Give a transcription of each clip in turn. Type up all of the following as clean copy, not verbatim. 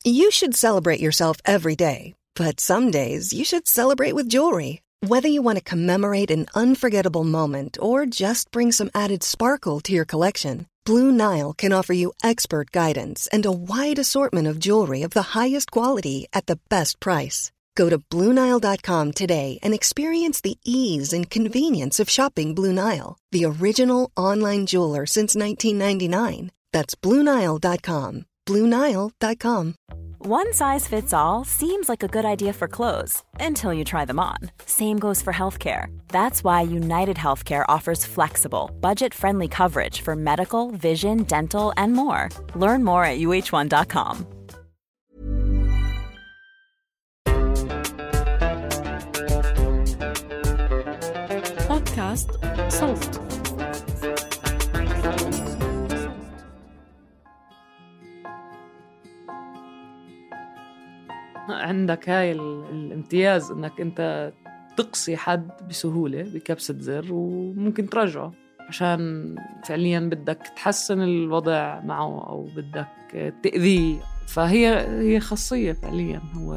You should celebrate yourself every day, but some days you should celebrate with jewelry. Whether you want to commemorate an unforgettable moment or just bring some added sparkle to your collection, Blue Nile can offer you expert guidance and a wide assortment of jewelry of the highest quality at the best price. Go to BlueNile.com today and experience the ease and convenience of shopping Blue Nile, the original online jeweler since 1999. That's BlueNile.com. BlueNile.com. One size fits all seems like a good idea for clothes until you try them on. Same goes for healthcare. That's why United Healthcare offers flexible, budget-friendly coverage for medical, vision, dental, and more. Learn more at uh1.com. بودكاست صوت. عندك هاي الامتياز انك انت تقصي حد بسهولة بكبسة زر وممكن ترجعه عشان فعليا بدك تحسن الوضع معه او بدك تأذيه. فهي خاصية فعليا، هو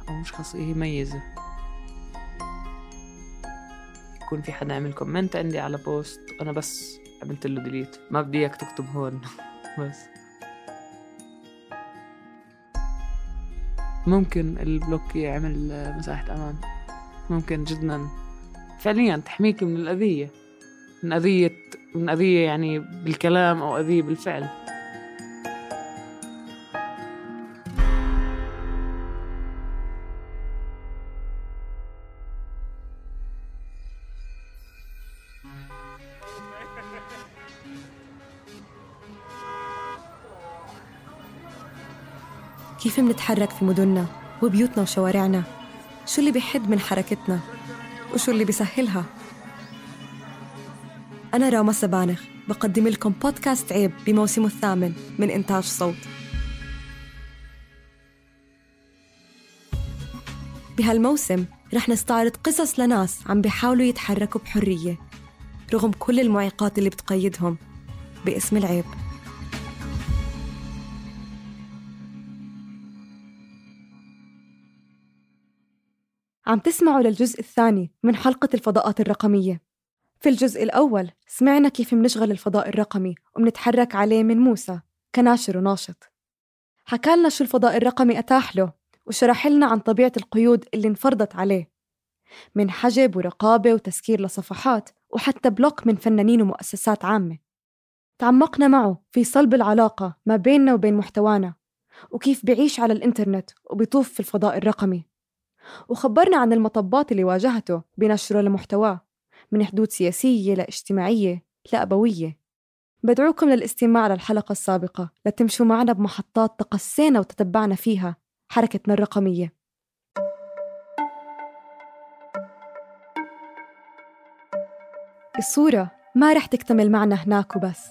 او مش خاصية، هي ميزة. يكون في حدا عمل كومنت عندي على بوست انا بس عملت له ديليت، ما بدي اياك تكتب هون بس. ممكن البلوك يعمل مساحة أمان، ممكن جداً فعلياً تحميك من الأذية، من أذية يعني بالكلام أو أذية بالفعل. كيف منتحرك في مدننا وبيوتنا وشوارعنا؟ شو اللي بيحد من حركتنا؟ وشو اللي بيسهلها؟ أنا راما سبانخ بقدم لكم بودكاست عيب بموسمه الثامن من إنتاج صوت. بهالموسم رح نستعرض قصص لناس عم بيحاولوا يتحركوا بحرية رغم كل المعيقات اللي بتقيدهم باسم العيب. عم تسمعوا للجزء الثاني من حلقة الفضاءات الرقمية. في الجزء الأول سمعنا كيف منشغل الفضاء الرقمي ومنتحرك عليه من موسى كناشر وناشط. حكالنا شو الفضاء الرقمي أتاح له وشرح لنا عن طبيعة القيود اللي انفرضت عليه من حجب ورقابة وتسكير لصفحات وحتى بلوك من فنانين ومؤسسات عامة. تعمقنا معه في صلب العلاقة ما بيننا وبين محتوانا وكيف بيعيش على الإنترنت وبيطوف في الفضاء الرقمي، وخبرنا عن المطبات اللي واجهته بنشره لمحتواه من حدود سياسية لاجتماعية لأبوية. بدعوكم للاستماع للحلقة السابقة لتمشوا معنا بمحطات تقسينا وتتبعنا فيها حركتنا الرقمية. الصورة ما رح تكتمل معنا هناك وبس.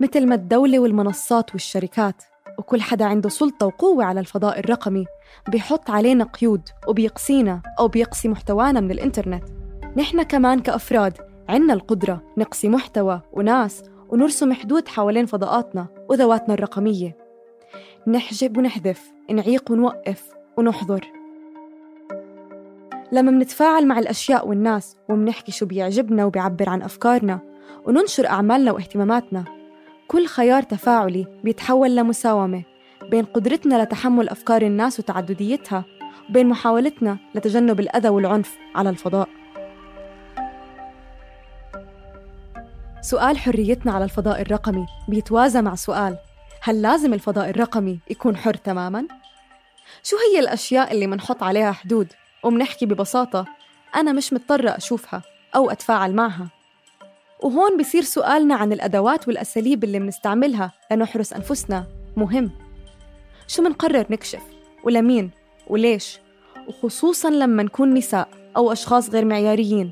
مثل ما الدولة والمنصات والشركات وكل حدا عنده سلطة وقوة على الفضاء الرقمي بيحط علينا قيود وبيقصينا أو بيقصي محتوانا من الإنترنت، نحن كمان كأفراد عنا القدرة نقصي محتوى وناس ونرسم حدود حوالين فضاءاتنا وذواتنا الرقمية، نحجب ونحذف، نعيق ونوقف ونحظر. لما منتفاعل مع الأشياء والناس ومنحكي شو بيعجبنا وبيعبر عن أفكارنا وننشر أعمالنا واهتماماتنا، كل خيار تفاعلي بيتحول لمساومة بين قدرتنا لتحمل أفكار الناس وتعدديتها وبين محاولتنا لتجنب الأذى والعنف على الفضاء. سؤال حريتنا على الفضاء الرقمي بيتوازى مع سؤال: هل لازم الفضاء الرقمي يكون حر تماماً؟ شو هي الأشياء اللي منحط عليها حدود ومنحكي ببساطة أنا مش مضطرة أشوفها أو أتفاعل معها؟ وهون بيصير سؤالنا عن الأدوات والأساليب اللي منستعملها لنحرس أنفسنا مهم. شو منقرر نكشف ولمين وليش، وخصوصاً لما نكون نساء أو أشخاص غير معياريين،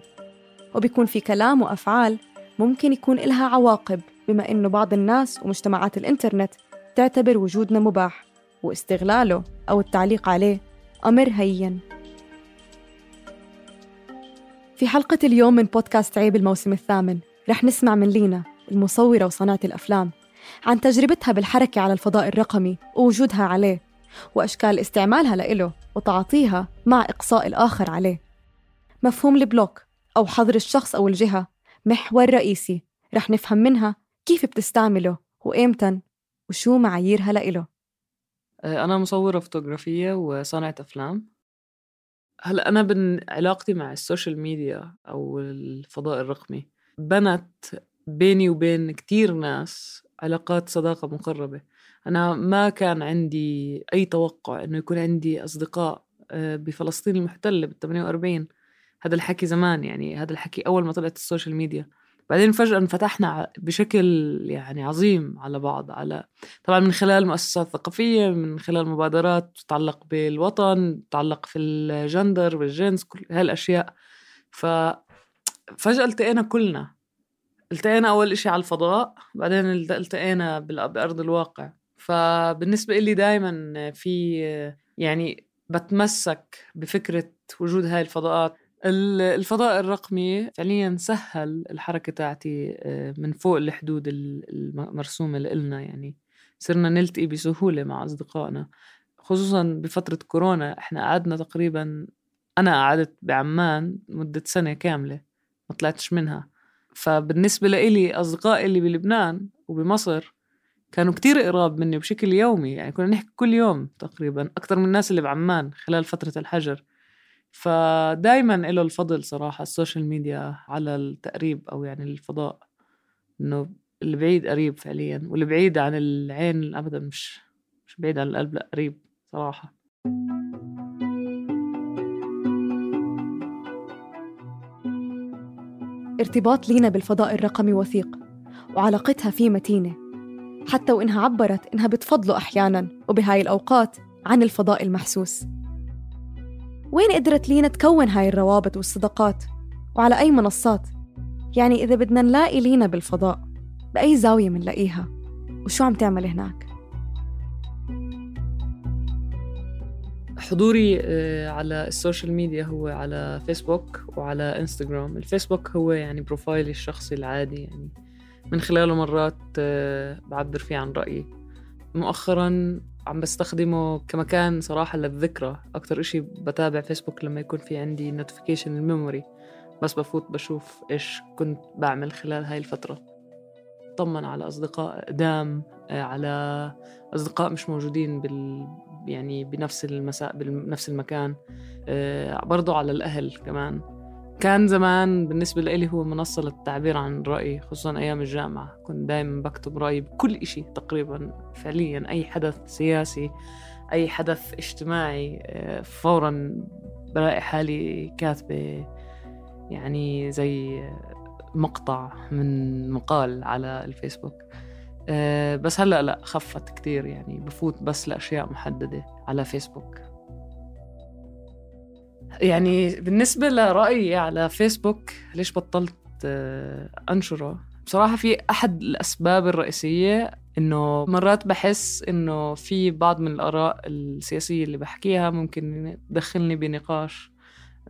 وبيكون في كلام وأفعال ممكن يكون إلها عواقب، بما إنه بعض الناس ومجتمعات الإنترنت تعتبر وجودنا مباح واستغلاله أو التعليق عليه أمر هين. في حلقة اليوم من بودكاست عيب الموسم الثامن رح نسمع من لينا المصورة وصانعة الأفلام عن تجربتها بالحركة على الفضاء الرقمي ووجودها عليه، وأشكال استعمالها لإله وتعاطيها مع إقصاء الآخر عليه. مفهوم البلوك أو حظر الشخص أو الجهة محور رئيسي رح نفهم منها كيف بتستعمله وإمتى وشو معاييرها لإله. أنا مصورة فوتوغرافية وصانعة أفلام. هلأ أنا علاقتي مع السوشيال ميديا أو الفضاء الرقمي بنت بيني وبين كتير ناس علاقات صداقة مقربة. أنا ما كان عندي أي توقع إنه يكون عندي أصدقاء بفلسطين المحتلة بال48. هذا الحكي زمان، يعني هذا الحكي أول ما طلعت السوشيال ميديا. بعدين فجأة انفتحنا بشكل يعني عظيم على بعض، على طبعا من خلال مؤسسات ثقافية، من خلال مبادرات تتعلق بالوطن، تتعلق في الجندر والجنس، كل هالأشياء. ففجأة التقينا كلنا، التقينا أول إشي على الفضاء، بعدين التقينا بأرض الواقع. فبالنسبة إلي دايما في يعني بتمسك بفكرة وجود هاي الفضاءات. الفضاء الرقمي فعليا سهل الحركة تاعتي من فوق الحدود المرسومة لإلنا. يعني صرنا نلتقي بسهولة مع أصدقائنا، خصوصا بفترة كورونا. إحنا قعدنا تقريبا، أنا قعدت بعمان مدة سنة كاملة ما طلعتش منها. فبالنسبة لإلي أصدقائي اللي بلبنان وبمصر كانوا كتير قراب مني بشكل يومي، يعني كنا نحكي كل يوم تقريبا أكتر من الناس اللي بعمان خلال فترة الحجر. فدايما له الفضل صراحة السوشيال ميديا على التقريب، أو يعني الفضاء، إنه اللي بعيد قريب فعليا، واللي بعيد عن العين أبدا مش بعيد عن القلب، لا قريب صراحة. ارتباط لينا بالفضاء الرقمي وثيق، وعلاقتها فيه متينة، حتى وإنها عبرت إنها بتفضله أحياناً وبهاي الأوقات عن الفضاء المحسوس. وين قدرت لينا تكون هاي الروابط والصداقات؟ وعلى أي منصات؟ يعني إذا بدنا نلاقي لينا بالفضاء، بأي زاوية منلاقيها؟ وشو عم تعمل هناك؟ حضوري على السوشيال ميديا هو على فيسبوك وعلى انستغرام. الفيسبوك هو يعني بروفايلي الشخصي العادي، يعني من خلاله مرات بعبر فيه عن رأيي. مؤخراً عم بستخدمه كمكان صراحة للذكرى. أكتر إشي بتابع فيسبوك لما يكون في عندي نوتيفيكيشن الميموري، بس بفوت بشوف إيش كنت بعمل خلال هاي الفترة. طمن على أصدقاء قدام، على أصدقاء مش موجودين يعني بنفس بنفس المكان، برضو على الأهل كمان. كان زمان بالنسبة لي هو منصة للتعبير عن رأيي، خصوصا أيام الجامعة. كنت دايما بكتب رأيي بكل إشي تقريبا، فعليا أي حدث سياسي، أي حدث اجتماعي، فورا بلاقي حالي كاتبة يعني زي مقطع من مقال على الفيسبوك. بس هلأ لا، خفت كتير، يعني بفوت بس لأشياء محددة على فيسبوك. يعني بالنسبة لرأيي على فيسبوك ليش بطلت أنشره، بصراحة في أحد الأسباب الرئيسية إنه مرات بحس إنه في بعض من الآراء السياسية اللي بحكيها ممكن تدخلني بنقاش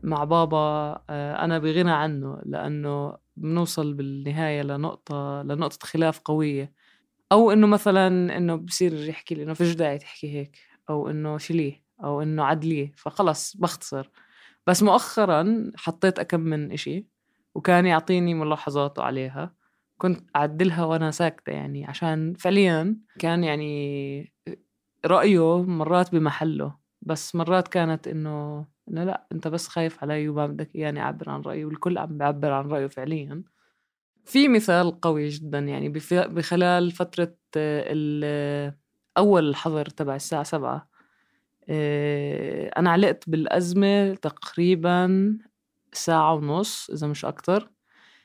مع بابا أنا بغنى عنه، لأنه بنوصل بالنهاية لنقطة خلاف قوية. أو إنه مثلا إنه بصير يحكي لي إنه فيش داعي تحكي هيك، أو إنه شليه، أو إنه عدليه، فخلص بختصر. بس مؤخرا حطيت أكم من إشي وكان يعطيني ملاحظاته عليها، كنت أعدلها وأنا ساكتة، يعني عشان فعليا كان يعني رأيه مرات بمحله، بس مرات كانت إنه لا أنت بس خايف علي وما بدك يعني أعبر عن رأيه، والكل عم بيعبر عن رأيه فعليا. في مثال قوي جدا، يعني بخلال فترة أول الحظر تبع الساعة 7 أنا علقت بالأزمة تقريبا ساعة ونص إذا مش أكتر.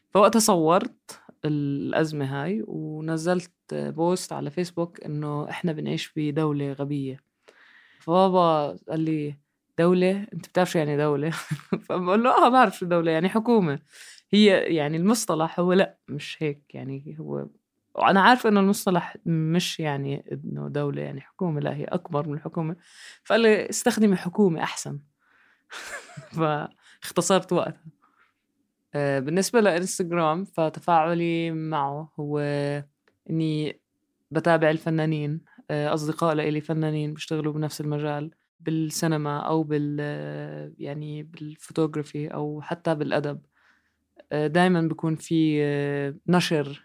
فوقتها صورت الأزمة هاي ونزلت بوست على فيسبوك إنه إحنا بنعيش في دولة غبية. فبابا قال لي دولة؟ أنت بتعرف شو يعني دولة؟ فبقول له بعرف شو دولة، يعني حكومة. هي يعني المصطلح هو لا مش هيك، يعني هو، وأنا عارفة إنه المصطلح مش يعني إنه دولة يعني حكومة، لا هي أكبر من الحكومة. فقال لي استخدمي حكومة أحسن. فاختصرت وقتها. بالنسبة لإنستغرام فتفاعلي معه هو إني بتابع الفنانين، أصدقاء لإلي فنانين بيشتغلوا بنفس المجال بالسينما أو يعني بالفوتوغرافي أو حتى بالأدب. دايما بيكون في نشر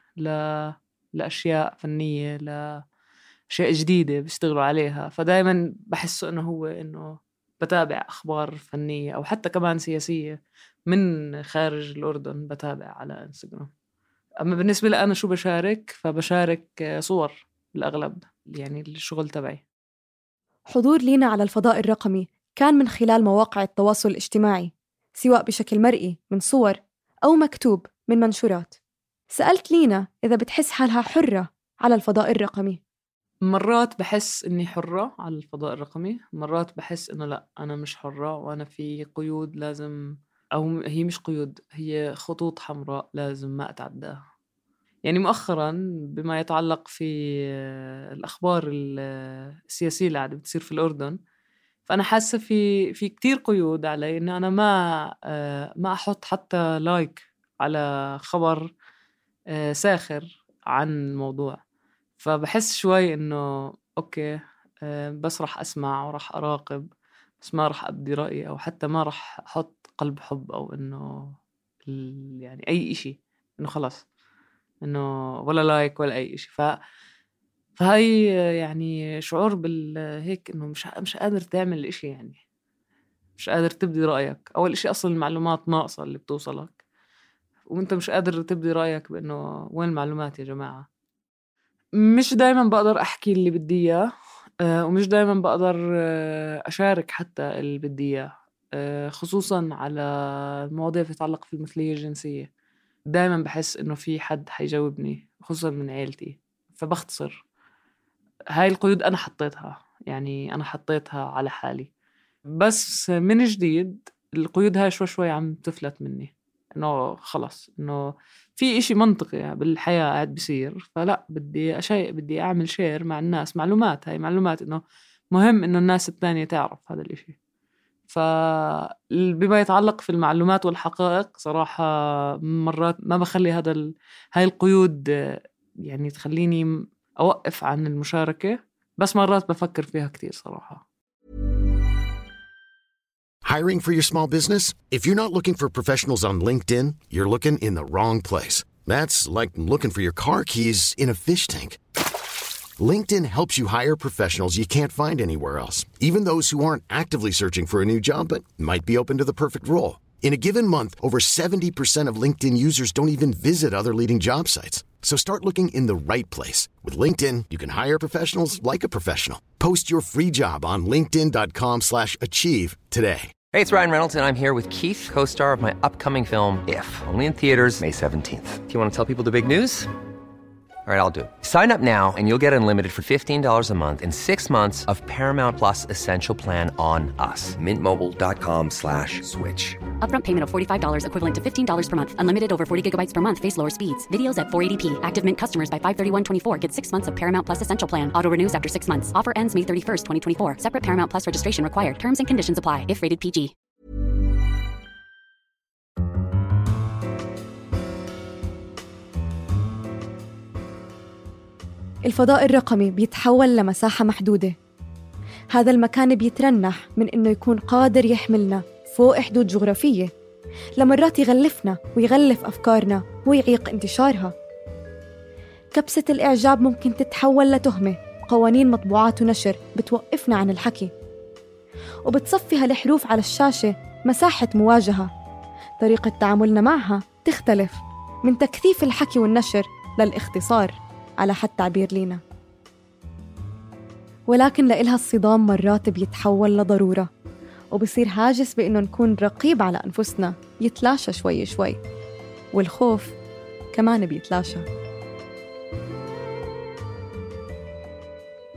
لأشياء فنية، لأشياء جديدة بيشتغلوا عليها. فدايما بحسه إنه بتابع أخبار فنية أو حتى كمان سياسية من خارج الأردن بتابع على إنستغرام. أما بالنسبة لي أنا شو بشارك، فبشارك صور بالأغلب، يعني الشغل تبعي. حضور لينا على الفضاء الرقمي كان من خلال مواقع التواصل الاجتماعي، سواء بشكل مرئي من صور أو مكتوب من منشورات. سألت لينا إذا بتحس حالها حرة على الفضاء الرقمي. مرات بحس إني حرة على الفضاء الرقمي، مرات بحس إنه لأ، أنا مش حرة وأنا في قيود لازم، أو هي مش قيود، هي خطوط حمراء لازم ما أتعداها. يعني مؤخراً بما يتعلق في الأخبار السياسية اللي قاعدة بتصير في الأردن، فأنا حاسة في كتير قيود علي إن أنا ما أحط حتى لايك على خبر ساخر عن الموضوع. فبحس شوي إنه أوكي، بس رح أسمع ورح أراقب، بس ما رح أبدي رأيي، أو حتى ما رح أحط قلب حب، أو إنه يعني أي إشي، إنه خلاص إنه ولا لايك ولا أي إشي. فهاي يعني شعور هيك إنه مش قادر تعمل إشي، يعني مش قادر تبدي رأيك. أول إشي أصلا المعلومات ناقصة اللي بتوصلك، وإنت مش قادر تبدي رأيك بإنه وين المعلومات يا جماعة. مش دايما بقدر أحكي اللي بدي إياه، ومش دايما بقدر أشارك حتى اللي بدي إياه، خصوصا على المواضيع تتعلق في المثلية الجنسية. دايما بحس إنه في حد حيجاوبني، خصوصا من عيلتي، فبختصر. هاي القيود أنا حطيتها، يعني أنا حطيتها على حالي، بس من جديد القيود هاي شوي عم تفلت مني. إنه خلاص إنه في إشي منطقي بالحياة قاعد بيصير، فلا بدي أعمل شير مع الناس معلومات. هاي معلومات إنه مهم إنه الناس التانية تعرف هذا الإشي. فبما يتعلق في المعلومات والحقائق صراحة مرات ما بخلي هاي القيود يعني تخليني أوقف عن المشاركة، بس مرات بفكر فيها كتير صراحة. Hiring for your small business? If you're not looking for professionals on LinkedIn, you're looking in the wrong place. That's like looking for your car keys in a fish tank. LinkedIn helps you hire professionals you can't find anywhere else, even those who aren't actively searching for a new job but might be open to the perfect role. In a given month, over 70% of LinkedIn users don't even visit other leading job sites. So start looking in the right place. With LinkedIn, you can hire professionals like a professional. Post your free job on linkedin.com/achieve today. Hey, it's Ryan Reynolds, and I'm here with Keith, co-star of my upcoming film, If, only in theaters May 17th. Do you want to tell people the big news? All right, I'll do it. Sign up now and you'll get unlimited for $15 a month and 6 months of Paramount Plus Essential Plan on us. MintMobile.com/switch. Upfront payment of $45 equivalent to $15 per month. Unlimited over 40 gigabytes per month. Face lower speeds. Videos at 480p. Active Mint customers by 531.24 get 6 months of Paramount Plus Essential Plan. Auto renews after 6 months. Offer ends May 31st, 2024. Separate Paramount Plus registration required. Terms and conditions apply if rated PG. الفضاء الرقمي بيتحول لمساحة محدودة. هذا المكان بيترنح من إنه يكون قادر يحملنا فوق حدود جغرافية، لمرات يغلفنا ويغلف أفكارنا ويعيق انتشارها. كبسة الإعجاب ممكن تتحول لتهمة، قوانين مطبوعات ونشر بتوقفنا عن الحكي، وبتصفي هالحروف على الشاشة مساحة مواجهة. طريقة تعاملنا معها تختلف من تكثيف الحكي والنشر للاختصار على حد تعبير لينا. ولكن لإلها الصدام مرات بيتحول لضرورة، وبصير هاجس بإنه نكون رقيب على أنفسنا يتلاشى شوي شوي، والخوف كمان بيتلاشى.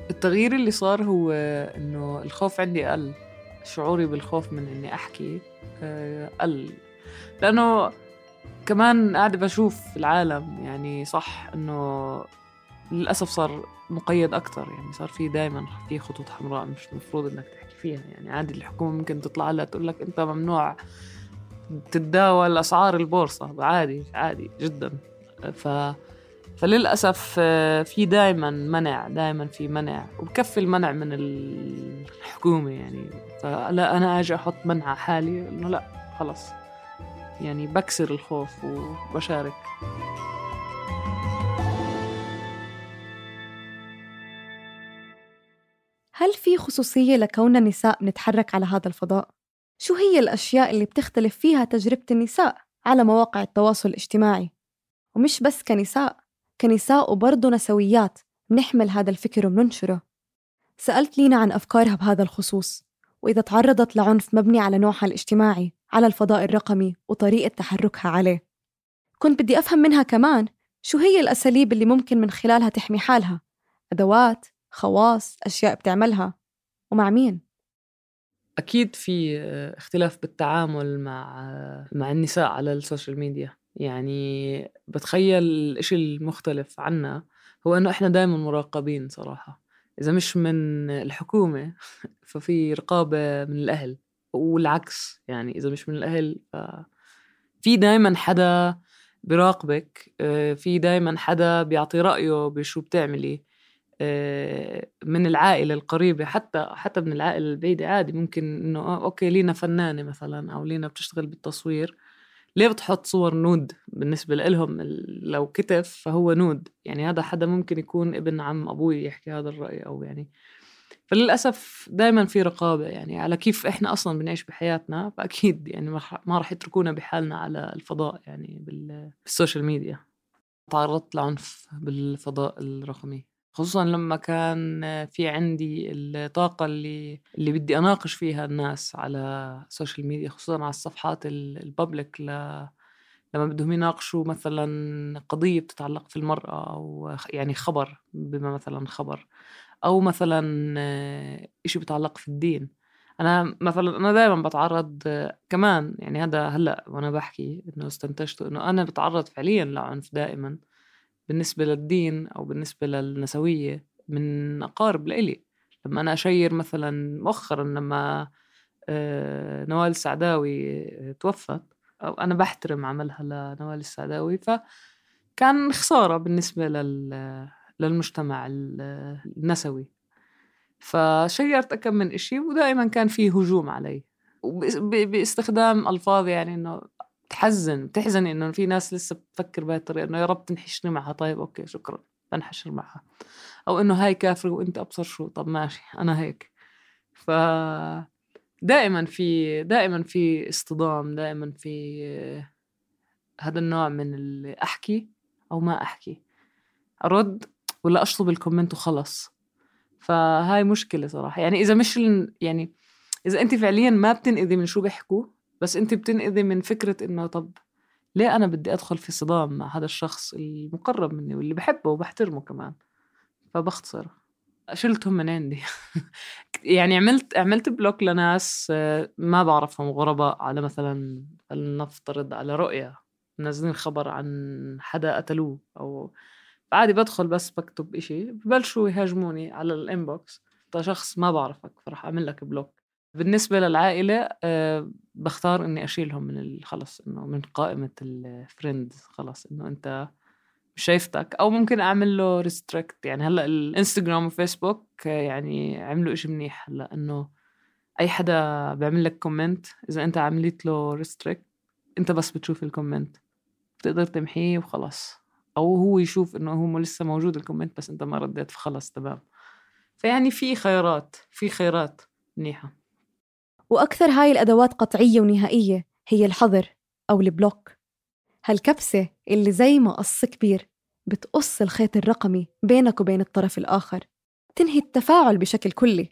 التغيير اللي صار هو إنه الخوف عندي قل، شعوري بالخوف من إني أحكي قل، لأنه كمان قاعدة بشوف العالم، يعني صح إنه للأسف صار مقيد أكتر، يعني صار في دايما في خطوط حمراء مش مفروض إنك تحكي فيها. يعني عادي الحكومة ممكن تطلع لها تقول لك أنت ممنوع تتداول أسعار البورصة، عادي جدا. فللأسف في دائما في منع وبكفي المنع من الحكومة يعني. فلا أنا أجي أحط منع على حالي إنه لا خلص يعني بكسر الخوف وبشارك. هل في خصوصية لكوننا نساء نتحرك على هذا الفضاء؟ شو هي الأشياء اللي بتختلف فيها تجربة النساء على مواقع التواصل الاجتماعي؟ ومش بس كنساء وبرضو نسويات بنحمل هذا الفكر وبننشره. سألت لينا عن أفكارها بهذا الخصوص، وإذا تعرضت لعنف مبني على نوعها الاجتماعي على الفضاء الرقمي وطريقة تحركها عليه. كنت بدي أفهم منها كمان شو هي الأساليب اللي ممكن من خلالها تحمي حالها، أدوات، خواص، أشياء بتعملها، ومع مين. أكيد في اختلاف بالتعامل مع النساء على السوشيال ميديا. يعني بتخيل الإشي المختلف عنا هو أنه إحنا دائما مراقبين صراحة. إذا مش من الحكومة ففي رقابة من الأهل، والعكس يعني إذا مش من الأهل في دائما حدا بيراقبك، في دائما حدا بيعطي رأيه بشو بتعملي من العائلة القريبة، حتى من العائلة البعيدة عادي. ممكن إنه أوكي لينا فنانة مثلا أو لينا بتشتغل بالتصوير، ليه بتحط صور نود؟ بالنسبة لهم لو كتف فهو نود، يعني هذا حدا ممكن يكون ابن عم أبوي يحكي هذا الرأي أو يعني. فللأسف دايما في رقابة يعني على كيف إحنا أصلا بنعيش بحياتنا. فأكيد يعني ما راح يتركونا بحالنا على الفضاء يعني بالسوشيال ميديا. تعرضت لعنف بالفضاء الرقمي، خصوصا لما كان في عندي الطاقة اللي بدي أناقش فيها الناس على السوشيال ميديا، خصوصا على الصفحات البابليك لما بدهم يناقشوا مثلا قضية بتتعلق في المرأة أو يعني خبر، بما مثلا خبر أو مثلا إشي بتعلق في الدين. أنا دائما بتعرض كمان يعني. هذا هلأ وأنا بحكي إنه استنتجته إنه أنا بتعرض فعليا لعنف دائما بالنسبة للدين أو بالنسبة للنسوية من أقارب لإلي. لما أنا أشير مثلا مؤخرا لما نوال السعداوي توفت، أو أنا بحترم عملها لنوال السعداوي، فكان خسارة بالنسبة للمجتمع النسوي. فشيرت أكم من إشي ودائما كان فيه هجوم علي باستخدام ألفاظ يعني إنه بتحزني إنه في ناس لسه بتفكر بهاي الطريقة، إنه يا رب تنحشني معها. طيب أوكي شكرا، بنحشر معها. أو إنه هاي كافر وإنت أبصر شو، طب ماشي أنا هيك. دائما في اصطدام، دائما في هذا النوع من اللي أحكي أو ما أحكي، أرد ولا أشطب الكومنت وخلص. فهاي مشكلة صراحة يعني. إذا مش يعني إذا أنت فعليا ما بتنقذي من شو بيحكوا، بس أنت بتنقذي من فكرة إنه طب ليه أنا بدي أدخل في صدام مع هذا الشخص المقرب مني واللي بحبه وبحترمه كمان. فبختصر شلتهم من عندي. يعني عملت بلوك لناس ما بعرفهم، غرباء، على مثلا نفترض على رؤية منزلين خبر عن حدا قتلوه، أو عادي بدخل بس بكتب إشي ببلشوا يهاجموني على الانبوكس. ده شخص ما بعرفك فرح أعمل لك بلوك. بالنسبة للعائلة بختار إني أشيلهم من خلص، إنه من قائمة الفريندز خلص، إنه أنت مش شايفتك. أو ممكن أعمل له ريستريكت. يعني هلأ الانستغرام وفيسبوك يعني عملوا إشي منيح هلأ، إنه أي حدا بيعمل لك كومنت إذا أنت عملت له ريستريكت أنت بس بتشوف الكومنت، بتقدر تمحيه وخلاص. أو هو يشوف إنه هو لسه موجود الكومنت بس أنت ما رديت فخلص تمام. فيعني في خيارات منيحة. وأكثر هاي الأدوات قطعية ونهائية هي الحظر أو البلوك، هالكبسة اللي زي ما قص كبير بتقص الخيط الرقمي بينك وبين الطرف الآخر، تنهي التفاعل بشكل كلي.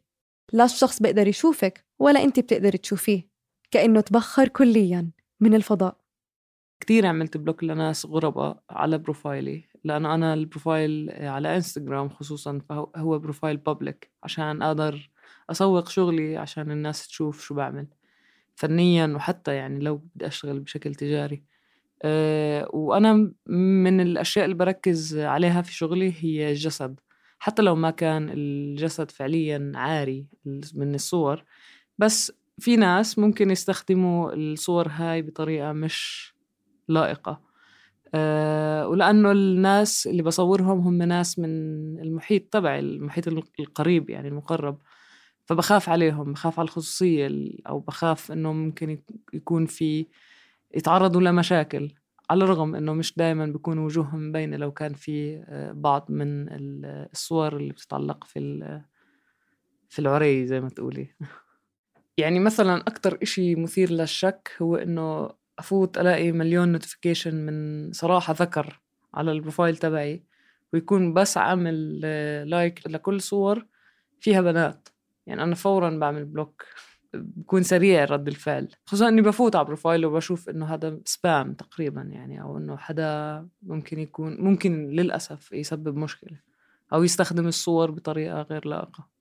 لا الشخص بيقدر يشوفك ولا أنت بتقدر تشوفيه، كأنه تبخر كلياً من الفضاء. كتير عملت بلوك لناس غرباء على بروفايلي، لأنه أنا البروفايل على إنستغرام خصوصاً فهو بروفايل بابليك عشان أقدر أسوق شغلي، عشان الناس تشوف شو بعمل فنياً، وحتى يعني لو بدي أشتغل بشكل تجاري. وأنا من الأشياء اللي بركز عليها في شغلي هي الجسد، حتى لو ما كان الجسد فعلياً عاري من الصور، بس في ناس ممكن يستخدموا الصور هاي بطريقة مش لائقة. ولأنه الناس اللي بصورهم هم ناس من المحيط تبعي، المحيط القريب يعني المقرب، فبخاف عليهم، بخاف على الخصوصية، أو بخاف إنه ممكن يكون في يتعرضوا لمشاكل، على الرغم إنه مش دايما بيكون وجوههم مبينة لو كان في بعض من الصور اللي بتتعلق في العري زي ما تقولي. يعني مثلا أكتر إشي مثير للشك هو إنه أفوت ألاقي مليون نوتيفيكيشن من صراحة ذكر على البروفايل تبعي، ويكون بس عامل لايك لكل صور فيها بنات. يعني أنا فوراً بعمل بلوك، بكون سريع رد الفعل، خصوصاً إني بفوت على بروفايل وبشوف إنه هذا سبام تقريباً، يعني أو إنه حدا ممكن للأسف يسبب مشكلة أو يستخدم الصور بطريقة غير لائقة.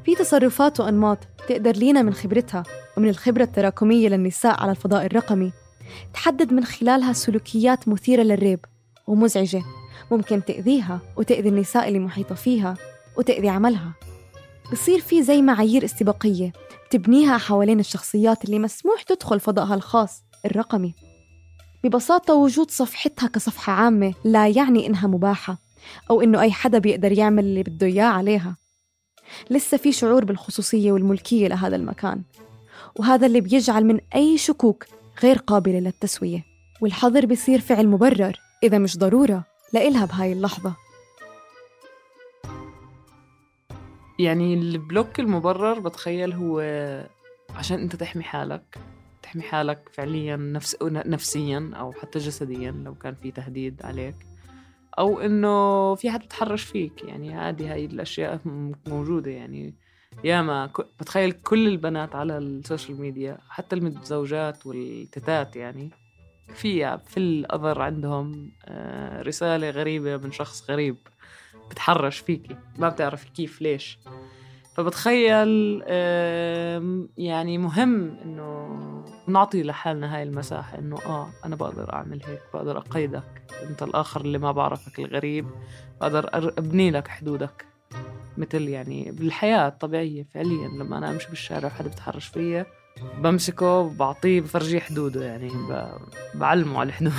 في تصرفات وأنماط تقدر لينا من خبرتها ومن الخبرة التراكمية للنساء على الفضاء الرقمي تحدد من خلالها سلوكيات مثيرة للريب ومزعجة، ممكن تأذيها وتأذي النساء اللي محيطة فيها وتأذي عملها. بصير في زي معايير استباقية تبنيها حوالين الشخصيات اللي مسموح تدخل فضائها الخاص الرقمي. ببساطة وجود صفحتها كصفحة عامة لا يعني إنها مباحة أو إنه أي حدا بيقدر يعمل اللي بده إياه عليها. لسه في شعور بالخصوصية والملكية لهذا المكان، وهذا اللي بيجعل من أي شكوك غير قابلة للتسوية، والحظر بيصير فعل مبرر إذا مش ضرورة لإلها بهاي اللحظة. يعني البلوك المبرر بتخيل هو عشان أنت تحمي حالك فعليا نفسيا أو حتى جسديا لو كان في تهديد عليك، أو إنه في حد تحرش فيك. يعني هاي الأشياء موجودة. يعني ياما بتخيل كل البنات على السوشيال ميديا حتى المتزوجات والتتات، يعني في الأثر عندهم رسالة غريبة من شخص غريب بتحرش فيكي، ما بتعرف كيف ليش. فبتخيل يعني مهم إنه نعطي لحالنا هاي المساحة، إنه أنا بقدر أعمل هيك، بقدر أقيدك أنت الآخر اللي ما بعرفك الغريب، بقدر أبني لك حدودك. مثل يعني بالحياة الطبيعية فعليا لما أنا أمشي بالشارع وحدا بتحرش فيا بمسكه بعطيه بفرجيه حدوده، يعني بعلمه على الحدود.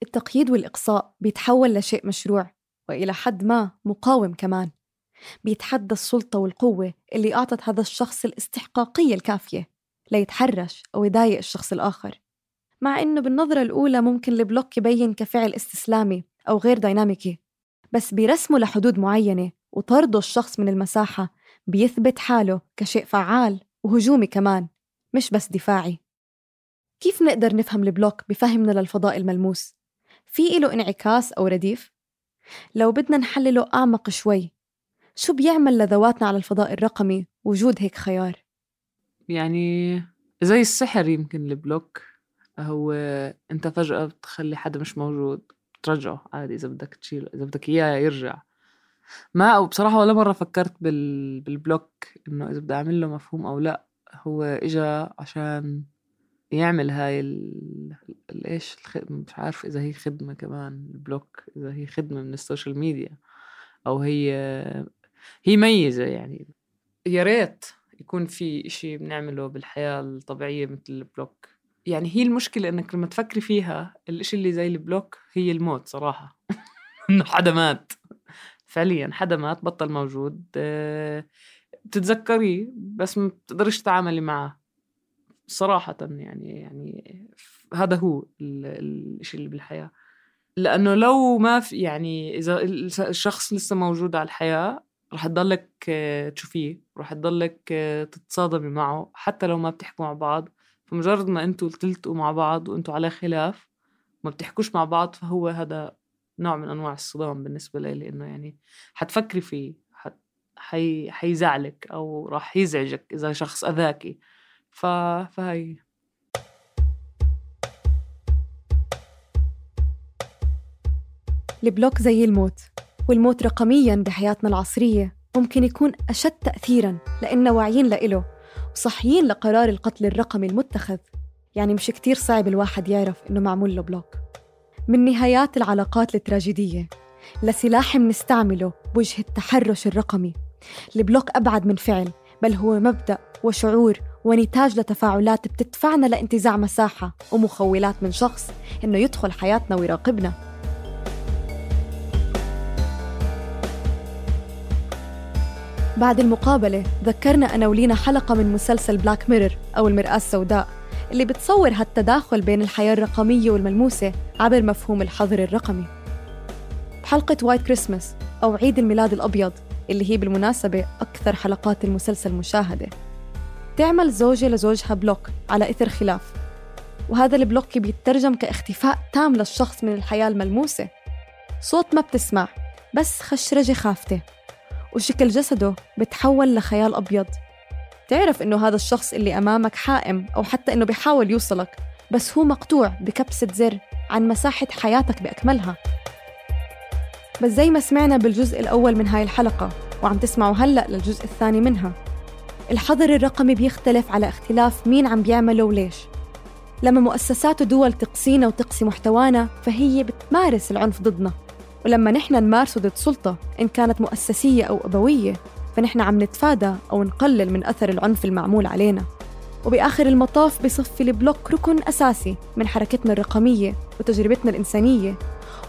التقييد والإقصاء بيتحول لشيء مشروع وإلى حد ما مقاوم كمان، بيتحدى السلطة والقوة اللي أعطت هذا الشخص الاستحقاقية الكافية ليتحرش أو يضايق الشخص الآخر. مع إنه بالنظرة الأولى ممكن البلوك يبين كفعل استسلامي أو غير ديناميكي، بس بيرسمه لحدود معينة، وطرده الشخص من المساحة بيثبت حاله كشيء فعال وهجومي كمان، مش بس دفاعي. كيف نقدر نفهم البلوك بفهمنا للفضاء الملموس؟ في له انعكاس أو رديف؟ لو بدنا نحلله أعمق شوي، شو بيعمل لذواتنا على الفضاء الرقمي وجود هيك خيار؟ يعني زي السحر يمكن البلوك. هو أنت فجأة بتخلي حدا مش موجود ترجعه عادي، إذا بدك تشيله، إذا بدك إياه يرجع. أو بصراحة ولا مرة فكرت بالبلوك إنه إذا بدي أعمل له مفهوم أو لا. هو إجا عشان يعمل هاي إيش مش عارف إذا هي خدمة كمان البلوك، إذا هي خدمة من السوشيال ميديا أو هي ميزة. يعني يا ريت يكون في إشي بنعمله بالحياة الطبيعية مثل البلوك. يعني هي المشكلة إنك لما تفكري فيها الإشي اللي زي البلوك هي الموت صراحة. إنه حدا مات فعليا، حدا مات بطل موجود، بتتذكريه بس ما بتقدرش تتعاملي معه صراحة. يعني هذا هو الشيء اللي بالحياة. لأنه لو ما في، يعني إذا الشخص لسه موجود على الحياة رح تضلك تشوفيه، رح تضلك تتصادمي معه حتى لو ما بتحكوا مع بعض. فمجرد ما أنتوا تلتقوا مع بعض وأنتوا على خلاف ما بتحكوش مع بعض، فهو هذا نوع من أنواع الصدام بالنسبة لي، لأنه يعني حتفكري فيه، حيزعلك أو راح يزعجك إذا شخص أذاكي. فهي البلوك زي الموت، والموت رقمياً بحياتنا العصرية ممكن يكون أشد تأثيراً لأننا واعيين لإله وصحيين لقرار القتل الرقمي المتخذ. يعني مش كتير صعب الواحد يعرف إنه معمول له بلوك. من نهايات العلاقات التراجيدية لسلاح منستعمله بوجه التحرش الرقمي. البلوك أبعد من فعل، بل هو مبدأ وشعور ونتاج لتفاعلات بتدفعنا لانتزاع مساحة ومخولات من شخص إنه يدخل حياتنا ويراقبنا. بعد المقابلة ذكرنا أنا ولينا حلقة من مسلسل بلاك ميرور أو المرآة السوداء اللي بتصور هالتداخل بين الحياة الرقمية والملموسة عبر مفهوم الحظر الرقمي. بحلقة وايت كريسماس أو عيد الميلاد الأبيض اللي هي بالمناسبة أكثر حلقات المسلسل مشاهدة، تعمل زوجة لزوجها بلوك على إثر خلاف، وهذا البلوك بيترجم كاختفاء تام للشخص من الحياة الملموسة. صوت ما بتسمع، بس خشرجة خافتة، وشكل جسده بتحول لخيال أبيض. تعرف إنه هذا الشخص اللي أمامك حائم أو حتى إنه بيحاول يوصلك، بس هو مقطوع بكبسة زر عن مساحة حياتك بأكملها. بس زي ما سمعنا بالجزء الأول من هاي الحلقة وعم تسمعوا هلأ للجزء الثاني منها، الحظر الرقمي بيختلف على اختلاف مين عم بيعمله وليش. لما مؤسسات ودول تقصينا وتقصي محتوانا فهي بتمارس العنف ضدنا، ولما نحن نمارسه ضد سلطة إن كانت مؤسسية أو أبوية فنحن عم نتفادى أو نقلل من أثر العنف المعمول علينا. وبآخر المطاف بصفي البلوك ركن أساسي من حركتنا الرقمية وتجربتنا الإنسانية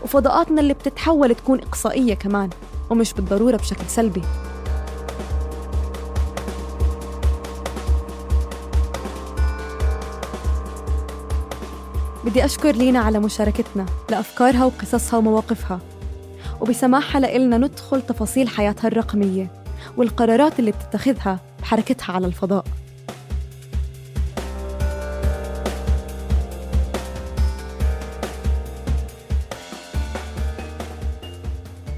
وفضاءاتنا اللي بتتحول تكون إقصائية كمان، ومش بالضرورة بشكل سلبي. بدي أشكر لينا على مشاركتنا لأفكارها وقصصها ومواقفها، وبسماحها لإلنا ندخل تفاصيل حياتها الرقمية والقرارات اللي بتتخذها بحركتها على الفضاء.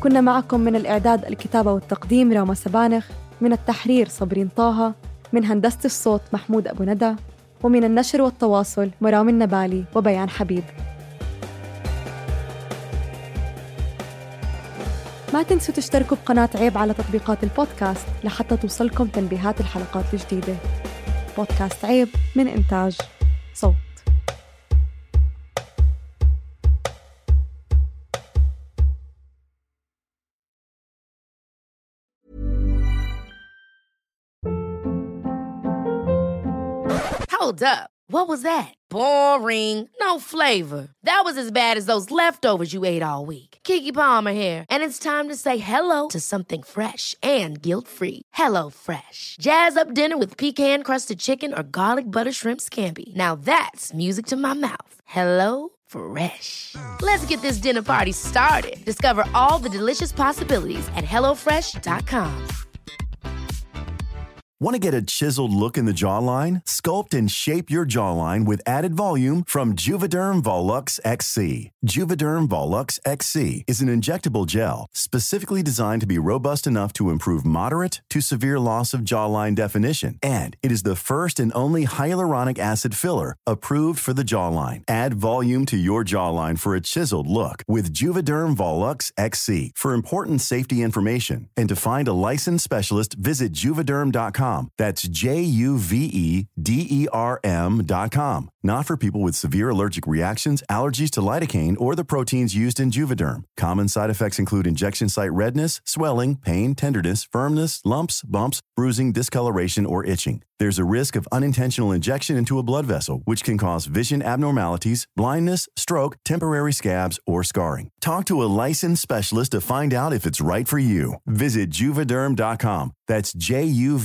كنا معكم من الإعداد، الكتابة والتقديم راما سبانخ، من التحرير صبرين طه، من هندسة الصوت محمود أبو ندى، ومن النشر والتواصل مرام النبالي وبيان حبيب. ما تنسوا تشتركوا بقناة عيب على تطبيقات البودكاست لحتى توصلكم تنبيهات الحلقات الجديدة. بودكاست عيب من إنتاج صوت. Hold up. What was that? Boring. No flavor. That was as bad as those leftovers you ate all week. Keke Palmer here, and it's time to say hello to something fresh and guilt-free. Hello Fresh. Jazz up dinner with pecan-crusted chicken or garlic butter shrimp scampi. Now that's music to my mouth. Hello Fresh. Let's get this dinner party started. Discover all the delicious possibilities at HelloFresh.com. Want to get a chiseled look in the jawline? Sculpt and shape your jawline with added volume from Juvederm Volux XC. Juvederm Volux XC is an injectable gel specifically designed to be robust enough to improve moderate to severe loss of jawline definition. And it is the first and only hyaluronic acid filler approved for the jawline. Add volume to your jawline for a chiseled look with Juvederm Volux XC. For important safety information and to find a licensed specialist, visit juvederm.com. That's JUVEDERM.com. Not for people with severe allergic reactions, allergies to lidocaine, or the proteins used in Juvederm. Common side effects include injection site redness, swelling, pain, tenderness, firmness, lumps, bumps, bruising, discoloration, or itching. There's a risk of unintentional injection into a blood vessel, which can cause vision abnormalities, blindness, stroke, temporary scabs, or scarring. Talk to a licensed specialist to find out if it's right for you. Visit Juvederm.com. That's JUVEDERM.com.